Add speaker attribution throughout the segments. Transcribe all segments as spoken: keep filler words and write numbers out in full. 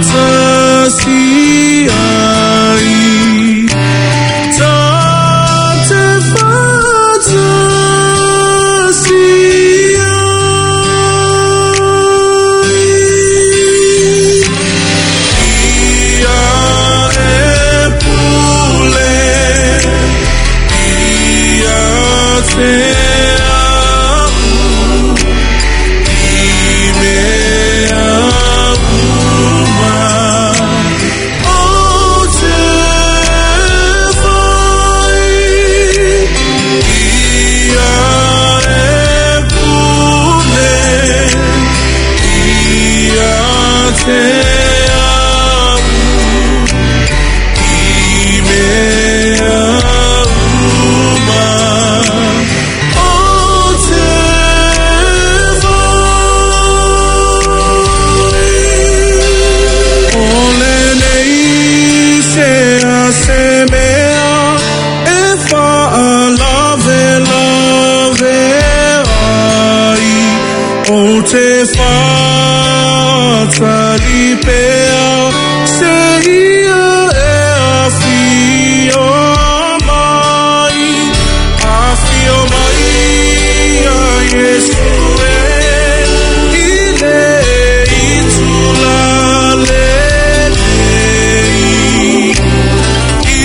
Speaker 1: Faatasi ai ta te faatasi ai ia e pule ia te te whatalipea se ia e awhio mai, awhio mai a Yesu e i le itula lenei, i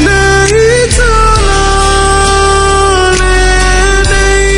Speaker 1: le itula lenei.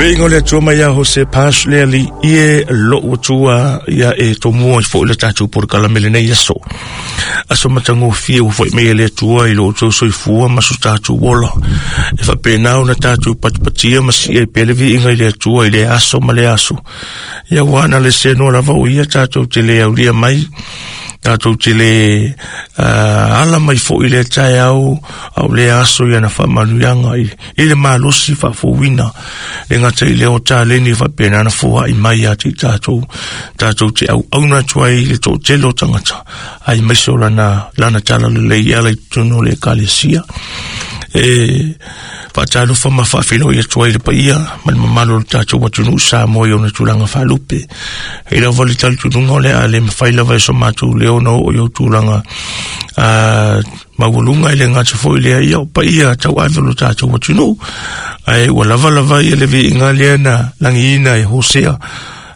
Speaker 2: Ingo le atua mai a Jose Paz le ali ie lo atua ia e tomua i fo le tatu por kalamele nei aso. Aso matango fia u foi mei le atua i lo tau soifua ma so tatu wola. E fa penau na tatu patpatia ma si e pelevi inga i le atua i le aso ma le aso. Ia wana le seno lava o ia tatu te le aulia mai. Tātou te le uh, ala mai fo i le tae au au le aso ia na whaamanuianga i, i le malosi whaafouina le ngata i le o tāleni whapena na fua i mai a te tātou tātou te au auna atu ai le tō telo tangata ai mai so lana, lana tala le lei ala i tunu le kalesia e whaatalofa ma whaawhilo i atua i le paia ma le mamalo le tātou atunu sa moi o na tūlanga whalupe hei lava le talitununga o le a le mawhai lava e so mātou le ona o i o tūlanga uh, maualunga i le ngata fo i lea ia o paia tau ave lo tātou atunu ai ua lava lava ia le viinga lea na langiina e Hosea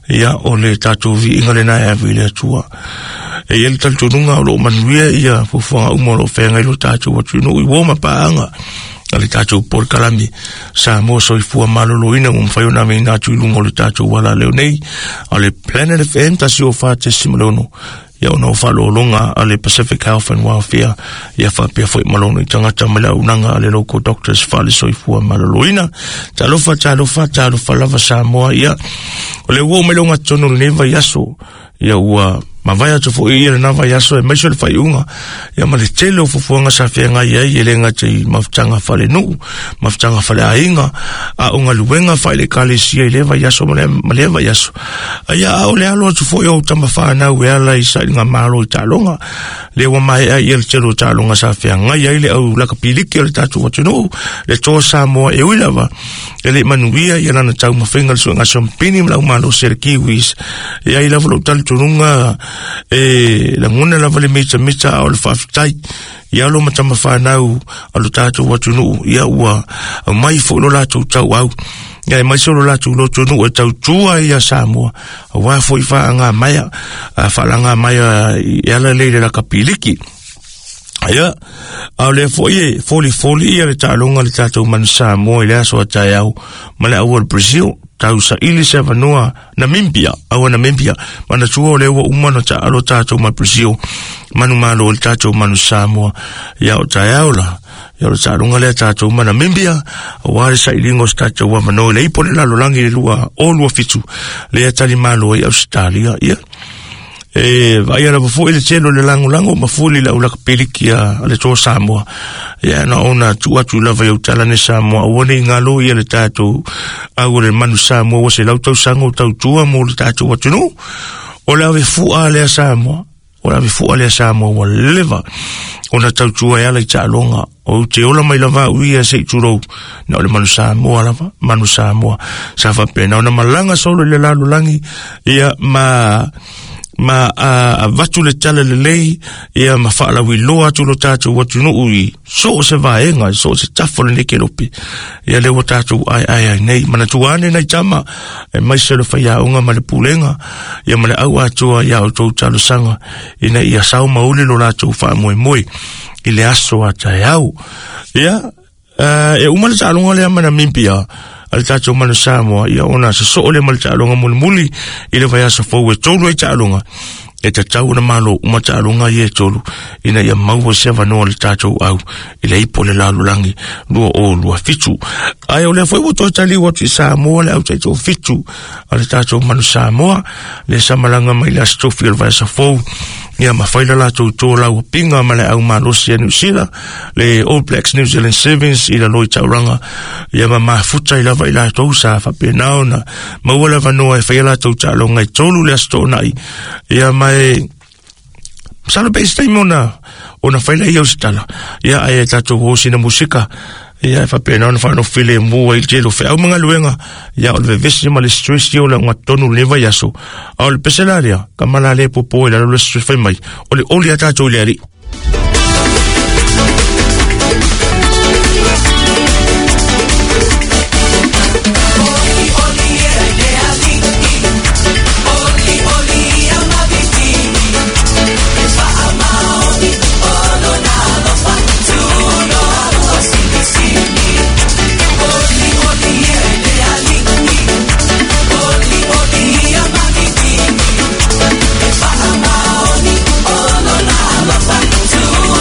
Speaker 2: ia o le tātou viinga le na e ave i le atua e ia le talitununga o lo manuia ia fufuanga uma o lo whenga i lo tātou atunu i woma paanga a le tātou por kalami sa mo soifua maloloina mo mawhai o nā mei nā tūlunga o le tātou wala leo nei a le Planet F M tasi o whātesimalono ia ona o whalolonga a le Pacific Health and Welfare ia whapea foi malono i tangata ma le aunanga a le local doctors whale soifua maloloina talofa talofa talofa lava Samoa ia o le uo melonga tonu le vai aso ia ua mawai atu fo ia na vai aso e maiso le whaiunga ia ma le tele o fufuanga sa whenga ia i ele ngā te mafutanga whale nuu mafutanga whale ainga a o ngā luenga whaile kalesia i le vai aso ma le, ma le vai aso a ia ao le alo atu fo ia o tama whanau e ala i sa i ngā malo i tālonga le ua mai a ia le tele o tālonga sa whenga ia i le au laka piliki o le tātou atunuu le tō Samoa e uilava e le manuia ia lana tau mawhenga le suenga sompini ma lau malo se le Kiwis ia i lava lo talitununga E lagona lava le mitamita a o le faafetai ia lo matamafanau a lo tatou atunuu ia ua mai foi lo latou tauau ia e mai se lo latou lotonuu e tautua ia Samoa aua foi faaga maia faalaga maia e ala lei le lakapiliki. Ia, a le foi e folifoli ia le taaloga le tatou manu Samoa i le aso a taeao ma le au o le Brazil tau saili se avanoa Namibia, aua Namibia, manatua o lea ua uma ona taalo tatou ma Brazil, manu malo i le tatou manu Samoa, ia o taeao la, ia o le taaloga lea tatou ma Namibia, aua le sailiga o se tatou avanoa i le ipo le lalolagi le lua o lua fitu, lea talimalo ai Ausetalia, ia. E vaai lava foi le tele o le lagolago ma fuli le aulaka peliki a le toa Samoa. Ia na ona tuu atu lava i autala ne Samoa, aua nei galo ia le tatou au o le manu Samoa ua se lau tausaga o tautua mo le tatou atunuu. O le ave fua lea Samoa, o le ave fua lea Samoa ua leva ona tautua e ala i taaloga. O te ola mai lava au ia se i tulou, na o le manu Samoa lava, manu Samoa. Sa faapena ona malaga solo i le lalolagi, ia ma ma a avatu le tala lelei ia ma faalauiloa atu lo tatou atunuu i so o se vaega so o se tafa o lenei kelope ia lea ua tatou aeae ai nei manatua ane nai tama e maise le faiaoga ma le pulega ia ma le au atoa ia outou talosaga ina ia sao mauli lo latou faamoemoe i le aso a taeao. Ia e uma le taaloga lea ma Namibia a le tatou manu Samoa ia ona sosoo le ma le taaloga mulimuli i le vaiaso fou e tolu ai taaloga e tatau ona malo uma taaloga ia e tolu ina ia maua se avanoa le tatou au i le ipo le lalolagi lua o lua fitu. Ae o lea foi ua toe taliu atu i Samoa le au taitoafitu a le tatou manu Samoa le sa malaga mai le aso tofi o le vaiaso fou ia ma fai la latou tolau pinga ma le au malosi a New Zealand le All Blacks New Zealand Sevens i la loi tauranga ia ma mafuta i lava i latou sa faapena ona maua le avanoa e faia latou taaloga i tolu le aso toonai ia ma e masalo pe se taimi ona ona fai laia o se tala ia ae tatou o sina musika ia e faapena ona faanofile mua i le tele o feau ma galuega ia o le vevesi ma le stress ia o le agatonu le vaiaso a o le pese la lea ka mala le popo i lalo le stress fai mai o le oli a tatou i le alii.
Speaker 1: Two.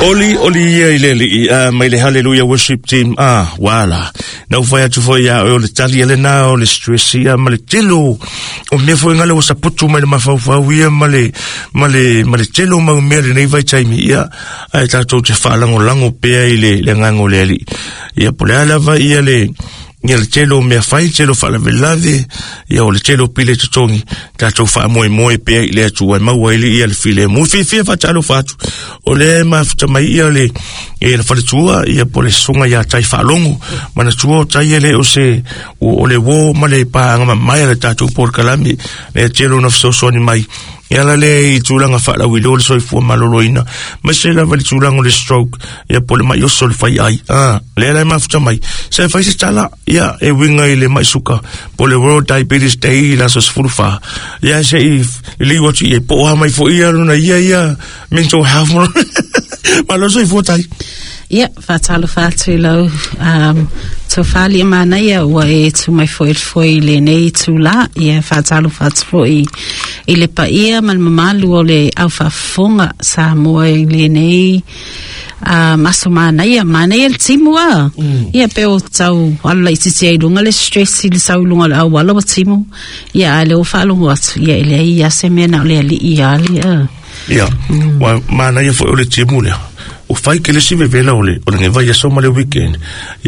Speaker 2: Oli oli ia i le alii a mai le Hallelujah Worship Team a wala. Na ufai atu foi ia o le tali ele na o le stress ia ma le telo o mea foi ngale o saputu mai le mafaufau ia ma le ma le ma le telo mau mea lenei vaitaimi ia ae tatou te faalagolago pea i le le agaga o le alii ia po le a lava ia le ia le tele o mea fai tele o faalavelave ia o le tele o pili totogi tatou faamoemoe pea i le Atua e maua ai ia le filemu. Fiafia faatalofa atu o lea e mafuta mai ia le e le faletua ia po le susuga ia Tai Faalogo manatua o Tai e le o se o le uō ma le paaga mamae a le tatou polokalame lea tele ona fesoasoani mai e ala lea i tulaga faalauiloa le soifua maloloina ma se lava le tulaga o le stroke ia po le mai oso le fai ai ah lea la e mafuta mai se fai se tala ia e uiga i le mai suka po le World Diabetes Day i le aso sefulu fa ia se i liu atu ia po o mai foi ia lona ia ia mental health malo soifua Tai.
Speaker 3: Ia, faatalofa atu i lau um, tofali manaia ua e tu mai foi le foi i lenei tula. Ia, faatalofa atu foi i le paia ma le mamalu o le aufaafofoga Samoa i lenei um, aso manaia. Manaia le timu a. Mm. Ia, pe o tau alu laitiiti ai luga le stress i le sau i luga o le auala ua timu. Ia, a le o faalogo atu. Ia, e leai ia se mea na o le alii ia le a.
Speaker 2: Ia, mm. wa manaia foi o le timu lea. O fai ke le si vevela o le o le vai aso ma le weekend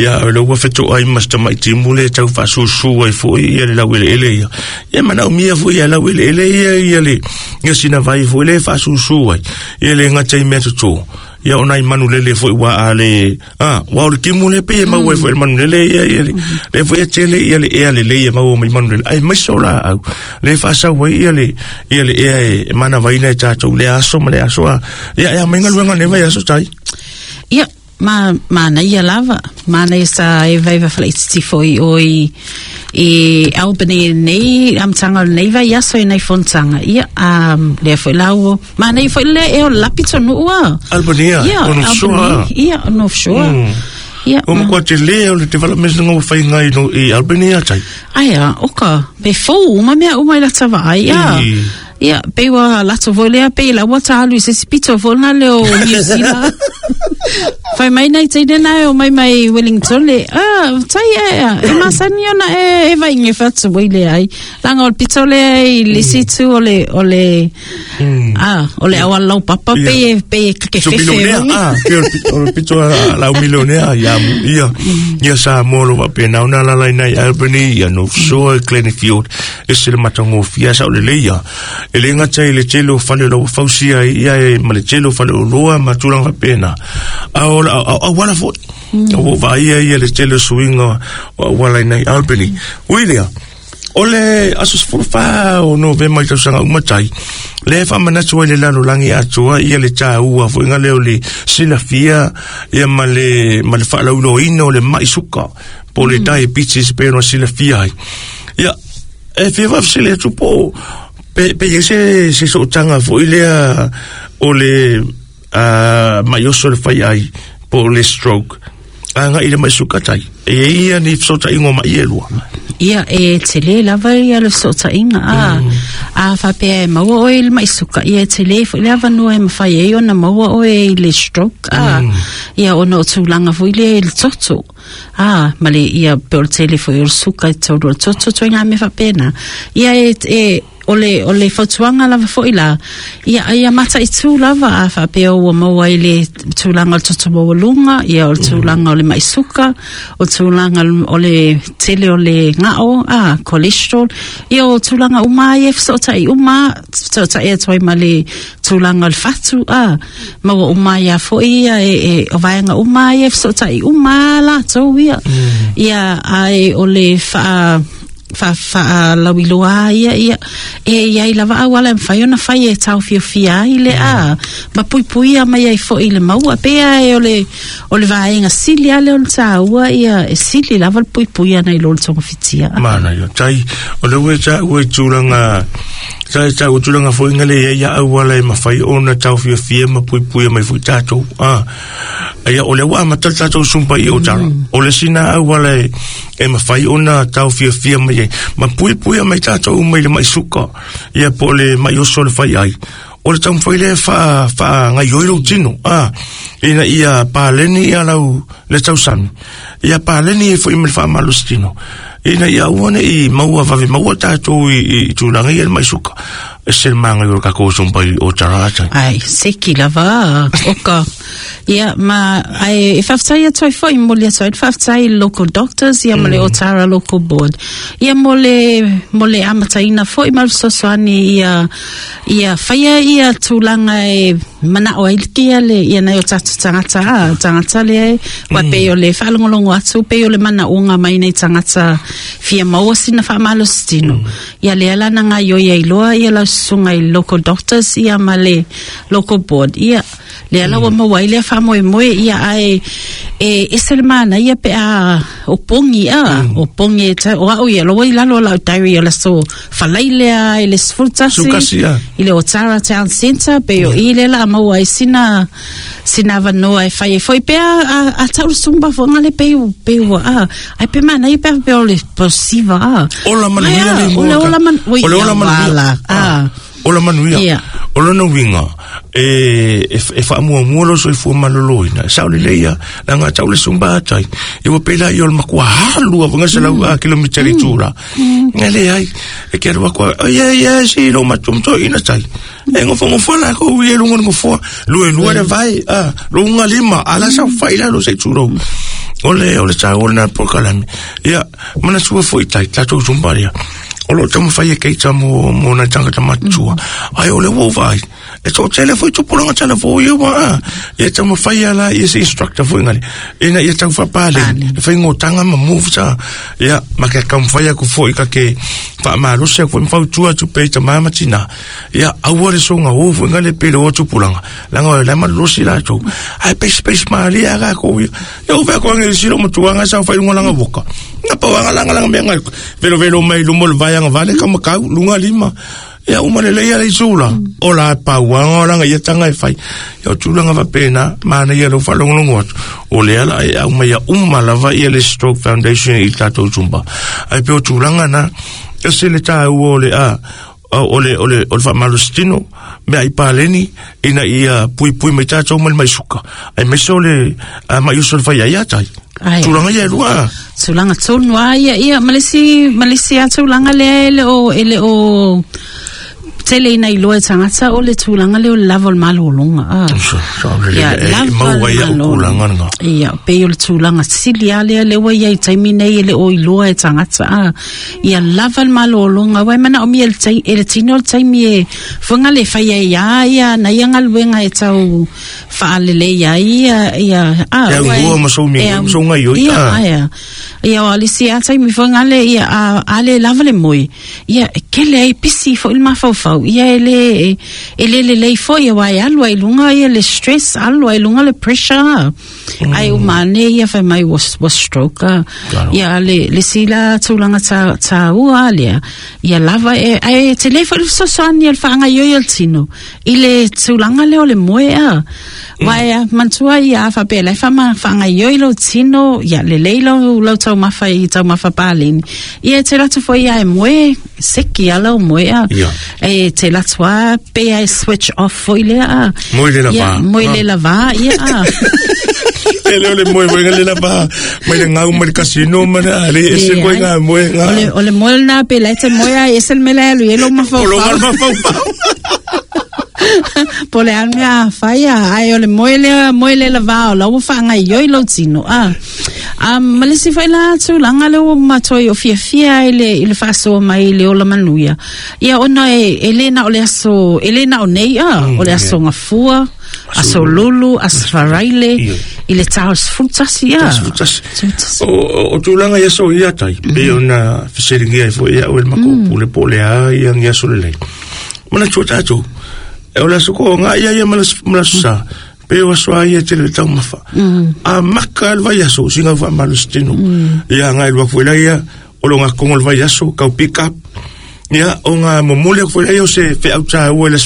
Speaker 2: ia o le ua fetoai ma se tamaiti le tau faasusu ai foi ia le laueleele ia ia manaomia foi ia laueleele ia ia le ia sina vai foi le faasusu ai ia le gata i mea totō ia o nai manulele foi ua a le a ua o le timu le pe e maua ai foi le manulele ia ia le le foi e tele ia le ea lelei e maua mai manulele ai mai so laau le faasau ai ia le ia le ea e manavaina e tatou le aso ma le aso a ia ia mai galuega nei vai aso Tai.
Speaker 3: Ia, ma manaia lava. Manaia sa e vaiva falaititi foi o i i Albany nei amataga o lenei vai aso i nei fonotaga. Ia, um, lea foi lau manaia foi lea e o lapi tonuu a.
Speaker 2: Albany a,
Speaker 3: Ia,
Speaker 2: o North Shore a.
Speaker 3: Albany, ia, o North Shore.
Speaker 2: Mm.
Speaker 3: Ia,
Speaker 2: O
Speaker 3: ma-
Speaker 2: makuā telē o le development nga ua faiga i no i Albany a Tai.
Speaker 3: Ai a, oka, pe fou uma mea uma i lata vaai, ia.
Speaker 2: I.
Speaker 3: Ia, pe ua lato foi lea, pe la ua talu i se si pito foi na leo New Zealand. Fai mai nei teine na o mai mai Wellington le, ah, tai e, e masani ona e, e vai nge whatu wei le ai. Langa o le pito le i lisi tu o le, o le, ah, o le awa lau papa,
Speaker 2: Ia.
Speaker 3: pe e, pe e kake
Speaker 2: So
Speaker 3: fefe.
Speaker 2: milionea, ah, pe o le pito- o le pito a lau milionea ia ia ia Samoa lo faapena ona alaala i nai Albany ia North Shore Glenfield e se le matagofie sa o lelei ia e le gata i le tele o fale o lau fausia ai ia e ma le tele o fale o loa ma tulaga faapena a o la auala foi o vaaia ia le tele o suiga o auala i nai Albany. Ui lea o le aso sefulu fa o Novema i tausaga uma Tai le faamanatu ai le lalolagi atoa ia le tāua foiga lea o le silafia ia ma le ma le faalauiloaina o le mai suka po o le diabetes pe ona silafia ai ia e fia faafesili atu po pe pe iai se se sootaga foi lea o le uh, mai oso le fai ai po o le stroke agai i le mai suka Tai e iai ia ni fesootaiga o mai e lua.
Speaker 3: Ia, e tele lava ia le fesootaiga a. A faapea e maua oe i le mai suka, ia e tele foi le avanoa e mafai ai ona maua oe i le stroke a. Ia ona o tulaga foi lea i le toto. A, ma le ia pe o le tele foi o le suka i tolu o le toto ituaiga mea faapena. Ia e, e o le, o le fautuaga lava foi la, ia ia mataitū lava a faapea ua maua i le tulaga o le toto maualuga, ia o le tulaga o le mai suka, o tulaga o le tele o le gao, a, cholesterol, ia o tulaga uma ia e fesootai uma, fesootai atu ai ma le tulaga o le fatu, a, maua uma ia foi ia e, e o vaega uma ia e fesootai uma latou ia. Ia, ae o le faa fa faalauiloa ia ia e iai lava auala e mafai ona fai e taofiofia ai le a ma puipuia mai ai foi le maua pea e o le o le vaega sili ale o le tāua ia e sili lava le puipuia nei lo le togafitia.
Speaker 2: Mana ia Tai o le ua tāua i tulaga tai tāua tulaga foi ngale ia ia auala e mafai ona taofiofia ma puipuia mai foi tatou a ia o le ua amata le tatou sumpa i o tala o le sina auala e e mafai ona taofiofia mai ai ma puipuia mai tatou mai le mai suka ia po o le mai oso le fai ai O le taumafai lea faa faagaioilo lou tino a ina ia paleni ia lau le tausami ia paleni e fo'i ma le faamalositino ina ia aua ne'i maua vave maua tatou i, i tulaga ia le maisuka e se maga i o le kakou sumpai o tarata
Speaker 3: ai seki lava oka ia ma ai e faafetai atu ai fo'i mo le atu ai faafetai local doctors ia ma le Otara Local Board ia mo le mo le amataina fo'i ma le fesoasoani ia ia faia ia tulaga e mana'o ai ia le ia nai o tatou tagata a tagata lea ua pei o le faalogologo atu pei o le manaʻoga mai nei tagata fia maua sina faamalositino ia lea lana gaioia iloa ia lau susuga i local doctors ia ma le local board ia lea la ua maua ai lea faamoemoe ia ae e ese le manaia pe a o pogi a o pogi e tau o a'u ia loa i lalo o lau diary o le aso falailea i le sefulu tasi i le Otara Town Centre pe o i lea la a maua ai sina sina avanoa e fai ai foi pe a a, a tau le sumba foga le pe pe ua a ai pe manaia pe a pe o le posiva a
Speaker 2: ola manuia le
Speaker 3: o le ola man
Speaker 2: o le ola manuia
Speaker 3: a
Speaker 2: ola manuia
Speaker 3: Ia.
Speaker 2: O lona uiga e e e faamuamua lo soifua malōlōina sao lelei ia laga tau le sumba atai e ua pei laia o le makua alu avaga selau a kilometre i tula e leai e ke alu aku ia ia si lo matumtoʻina tai e gofogofoa lakou ia luga o le gofoa luelua le vae a luga lima ala saofai lalo se tulou o le o le taua lena polokalame ia manatua fo'i tai tatou sumba lea o loo taumafai e keita mo mo nai tagata matutua ai o le ua vaai e toʻatele foi tupulaga talafou ia ua a ia taumafai ala ia se instructor foi gale ina ia tau faapaleni le faigotaga ma moves a ia ma ke taumafai aku foi ka ke faamalosi aku foi ma fautua atu pei tamā ma tinā ia aua le soga o foi gale pe le o tupulaga laga o le malolosi latou ae peisipesi malie aga kou ia ia ua feakoaga i le silo matuaga saofai luga laga voka na pauaga lagalaga mea gai velovelo mai luma o le vaeaga vale kamakau luga lima ia uma lelei ala i sula o la pauaga o laga ia taga e fai ia o tulaga faapena manaia lou faalogologo atu o lea la e aumai ia uma lava ia le Stroke Foundation i tatou zumba ai pe o tulaga na e se le tāua o le a o le o le o le faamalositino mea i paleni ina ia puipui mai tatou ma le maisuka ai maise o le maiuso le fai ai atai
Speaker 3: Ai.
Speaker 2: tulaga ia e lua
Speaker 3: tulaga tonu a ia ia ma le isi ma le isi a tulaga lea e le o e le o tele ina iloa e tagata o le tulaga lea o le lava o le malōlōga a Ia, lava
Speaker 2: maua
Speaker 3: le
Speaker 2: ia o
Speaker 3: malōlōga.
Speaker 2: tulaga lena
Speaker 3: Ia, pei o le tulaga sili a lea le ua ia i taimi nei e le o iloa e tagata a ia lava le malōlōga ua e manaʻomia e le tai- e le tino le taimi e fuaga le fai ai a ia na ia galuega e tau faalelei ai ia ia a
Speaker 2: E
Speaker 3: ua
Speaker 2: augua ma sou
Speaker 3: e
Speaker 2: ma sou gaioi,
Speaker 3: ia
Speaker 2: a.
Speaker 3: aia ia o le isi a taimi fuaga le ia a a le lava le moe ia e kele ai pisi fo'i le mafaufau ia e le e le lelei fo'i aua e alu ai luga ia le stress alu ai luga le pressure ai uma ane ia fai mai ua, ua stroke a.
Speaker 2: Claro.
Speaker 3: Ia le le sila tulaga ta taua lea ia lava e ai te le fo'i le fesoasoani a le faagaioi o le tino i le tulaga lea o le moe a wa e manatua ia a faapea lai faama faagaioi lou tino ia lelei lau lau taumafa i taumafa paleni ia e te latu foi ia e moe seki a lau moe a
Speaker 2: Ia.
Speaker 3: e te latu a pe ai switch off foi lea a
Speaker 2: Moe le lava.
Speaker 3: ia, moe le lava ia a
Speaker 2: e le o le moe moe le lava mai le ngau mai le kasino ma le ale e se koe ngā moe ngā
Speaker 3: o le o le moe lena pe lai te moe a e se le mea alu i e lou
Speaker 2: o lo
Speaker 3: mafaufau
Speaker 2: mafaufau
Speaker 3: po le a le mea a fai a ai o le moe lea moe le lava o la ua faagaioi lou tino a um, ma le isi foi la tulaga le ua matoi o fiafia i le, i le faasoa mai i le ola manuia ia ona e, e lē na o le aso e lē na o nei a o le aso gafua aso lulu aso faraile
Speaker 2: Ia.
Speaker 3: i le tao sefulu tasi a
Speaker 2: Sefulu tasi.
Speaker 3: Sefulu tasi.
Speaker 2: o o- o tulaga ia so ia tai pe ona fesiligia ai foi ia o le makou pule po le a ia ngia so lelei manatua tatou e o le aso koʻoga ia ia ma le ma le aso sa pe o aso a ia tele le taumafa a maka le vaiaso siga faamalositino ia agai lua foi laia o lo gakogo le vaiaso kau pick up ia o ga momoli aku foi laia o se feʻau tāua i le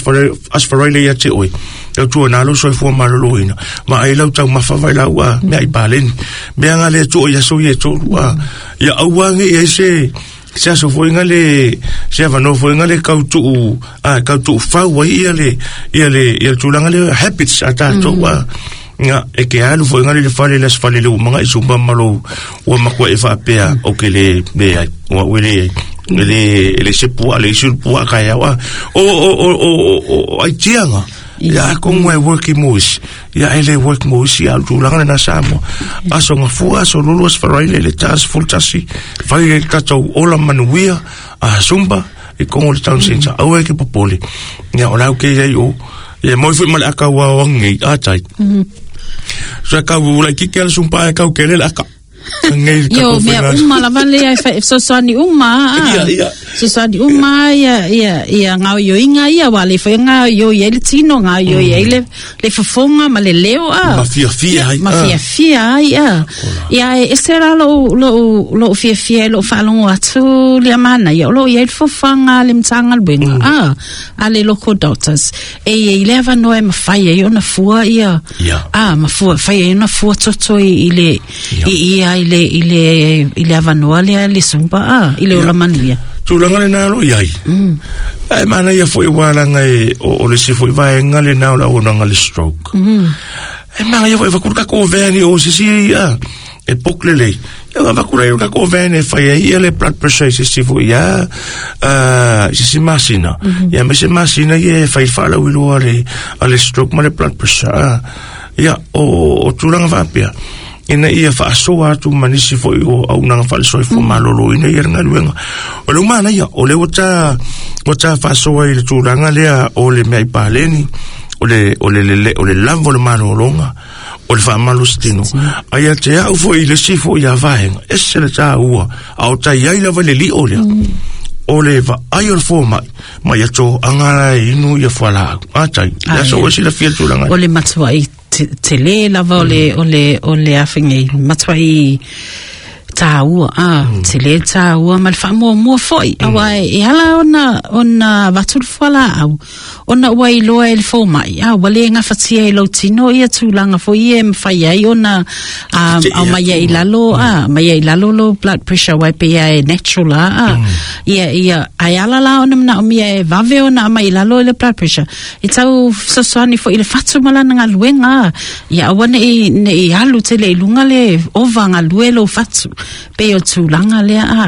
Speaker 2: aso faraile ia te oe tautua nā lou soifua malōlōina ma ai lau taumafa vai lau a mea i paleni mea ga le tuʻo i aso ia e tolu a ia aua ge i ai se Se aso foi ngale se avano foi ngale kau tu a kau tu fau ai ia le ia le ia tulaga le habits a tatou a nga e ke alu foi ngale le fale le fale le manga i sumba malo ua makua e faapea o ke le le ai ua le le le se pua le isu pua ka ia o o o o o ai tianga ia kongo e working mois ia ele work mois ia tulaga na Samoa aso nga fua aso lulu as farai le tas full tasi fai le tatou ola manuia a sumba e kongo le town center au e ke popole ia o lau ke ia o ia moi foi mal aka wa wangi a tai so ka u la ki ke sumba ka u ke le aka ngai ka
Speaker 3: yo mea uma lava le ai fa so so ni uma
Speaker 2: ia ia
Speaker 3: so so ni uma ia ia ia ngau yo inga ia wale fa ngau yo ia le tino ngau yo ia le le fofonga ma le leo a
Speaker 2: ma fia fia ai
Speaker 3: ma fia fia ai a ia e sera lo lo lo fia fia lo fa longo atu le amana ia lo ia le fofanga le mtanga le benga a a le local doctors e ia le va no e ma fa ia ona fua ia a ma fua fa ia ona fua toto i le i ia ile ile ile avanoa le le sumba a ile ola manuia
Speaker 2: tulaga le na lo iai ai mana ia foi wala ngai o le si foi vai ngale na la ona ngale stroke e mana ia foi va kurka ko veni o si si a e poklele ia va kura ia ko veni fa ia le blood pressure si si foi ia a si si masina ia me se masina ia fa fa la wilo ale ale stroke ma le blood pressure ia o tulaga va pia ina ia faasoa atu manisi foi o aunaga faalesoifua malōlōina ia le galuega o le umana ia o le ua ta ua ta faasoa i le tulaga lea o le meai paleni o le o le le o le lava o le malōlōga o le faamalositino ai a te au foi i le si foi ia vaega ese le tāua a o tai ai lava le li'o lea o le vaai o le fomai ma ia toaga inu ia fualaau atai ia so o silafia le tulaga
Speaker 3: o le matuai tele lava o le o le o le afengi matuai tāua a tele tāua ma le faamuamua foi aua e ala ona ona avatu le fualaau ona ua iloa e le fomai a ua le gafatia e lou tino ia tulaga foi ia e mafai ai ona aumai ai i lalo a mai ai i lalo lo blood pressure uai pea e natural a a ia ia ae ala la ona manaomia e vave ona aumai i lalo i le blood pressure e tau fesoasoani foi i le fatu ma lana galuega a ia aua neʻi neʻi alu tele i luga le ova galue lou fatu pe o tulaga lea a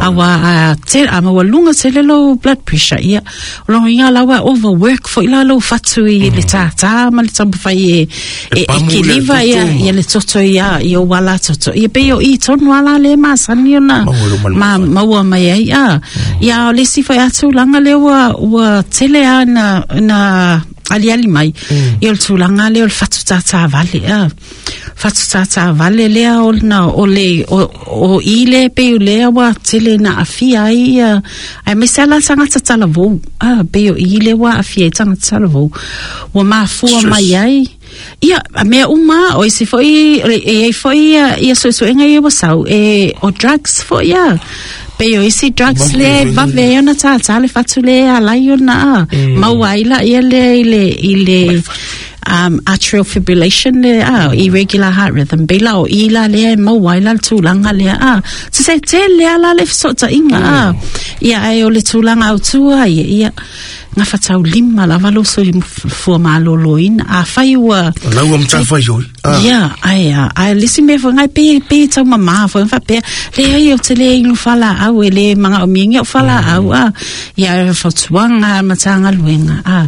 Speaker 3: aua a te a maua luga tele lou blood pressure ia o logoiga laua overwork foi la lou fatu i le tātā ma le taumafai e e kiliva ia ia le toto ia ia ua toto ia pe o i tonu ala le masani ona ma maua mai ai a ia o le isi foi a tulaga lea ua ua tele a na na aliali mai ia o le tulaga lea o le fatu tātā vale a fatu tātā vale lea o na o le o o i le pe o lea ua tele na afia ai ia ai me se ala tagata talavou a pe o i le ua afia ai tagata talavou ua mafua mai ai ia a mea uma o isi foi e ai foi ia ia suesuega ia ua sau e o drugs foi ia pe o isi drugs le vave ona tātā le fatu le alai ona a maua ai la ia le i le i le um atrial fibrillation le ah irregular heart rhythm bela o ila le maua ila tulaga le ah se se tele ala le fesootaiga ah ia ai o le tulaga autua ia ia gafatau lima lava lou soifua malōlōina afai ua
Speaker 2: lau ua matafai oi
Speaker 3: ia ai a ai le isi mea foi gai pe pe taumamā foi faapea leai ou te lē inu falaau e lē magaomiagia o falaau a ia e fautuaga matagaluega a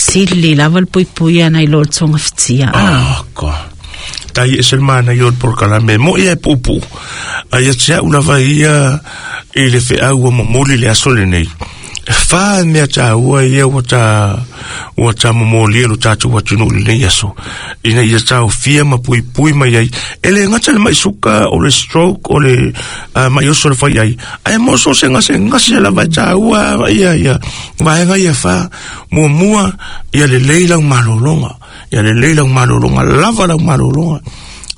Speaker 3: sili lava le puipui ana i lo le togafitia a
Speaker 2: ka tai e se mana i o le polokalame mo ia e puupuu ai ia te au lava ia i le feau ua momoli le aso lenei fa mea tāua ia ua tā ua tā momolia lo tātou atunuu lenei aso ina ia taofia ma puipui mai ai e le gata le maisuka o le stroke o le uh, maioso le fai ai ae mo so se gase gase lava e tāua ia ia vaega ia fa muamua ia lelei lau malōlōga ia lelei lau malōlōga lava lau malōlōga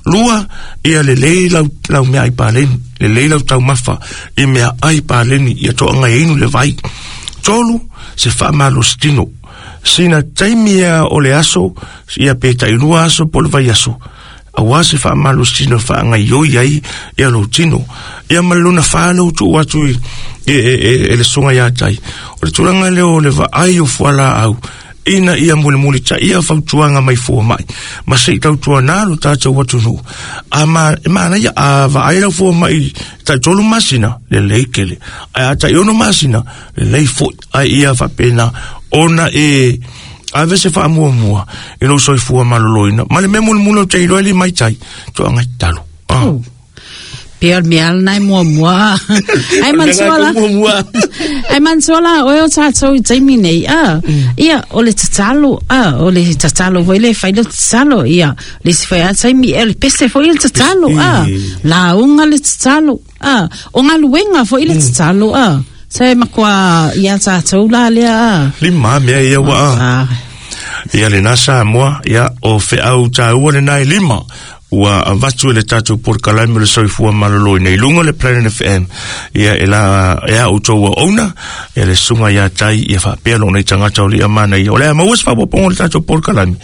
Speaker 2: lua ia lelei lau lau mea ai paleni lelei lau taumafa i mea ai paleni ia toaga e inu le vai tolu se faamalositino sina taimi ia o le aso ia pe tailua aso po le vaiaso Auā se faamalosina faagaioi ai ia lou tino. Ia ma le lona fa lea ua tuu atu i e e e le susuga iā tai, o le tulaga lea o le vaai o fualaau ina ia mulimuli taia fautuaga mai fua mai ma seʻi tautuanā lo tatou atunuu. A ma e manaia a vaai lau fua mai taʻi tolu masina lelei tele, ae a taʻi ono masina lelei foʻi, ae ia faapena ona e ave se faamuamua i lou soifua maloloina ma le mea mulimuli o te iloa e limai tai toagai tatalo. Ah.
Speaker 3: Oh. Pe o le mea lena e muamua. Ai manatua la. Ai manatua la oe o tatou i taimi nei a. Ia o le tatalo a, o le tatalo foi le fai le tatalo ia. Le isi foi a taimi e le pese foi le tatalo a. Lauga le tatalo a. O galuega foi le tatalo a. Se matua ia tatou la lea a.
Speaker 2: Lima mea ia ua a. Ia lena Samoa, ia o feau taua lena e lima ua avatu e le tatou polokalame o le soifua maloloina i luga o le Planet F M. Ia e la e a outou auauna, ia le susuga iā tai, ia faapea loo nei tagata o li'a manaia. O le a maua se faaopoopoga o le tatou polokalame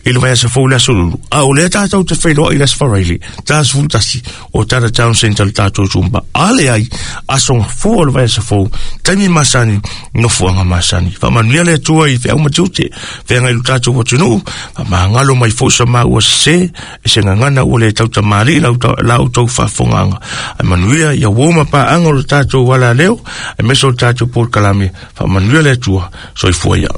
Speaker 2: i le vaiaso fou le aso lulu. A o lea tatou te feiloai i le aso Faraile, ta sefulu tasi o Tata Town Centre le tatou Zumba. A leai, aso gafua o le vaiaso fou, taimi masani, nofoaga masani. Faamanuia le Atua i feau ma tiute, feagai i lo tatou atunuu, faamagalo mai foi sa maua sesē, e se gagana ua le tautamalii lau la outou faafofogaaga. Ae manuia ia uo ma paaga o le tatou alaleo, aemaise o le tatou polokalame. Faamanuia le Atua, soifua ia.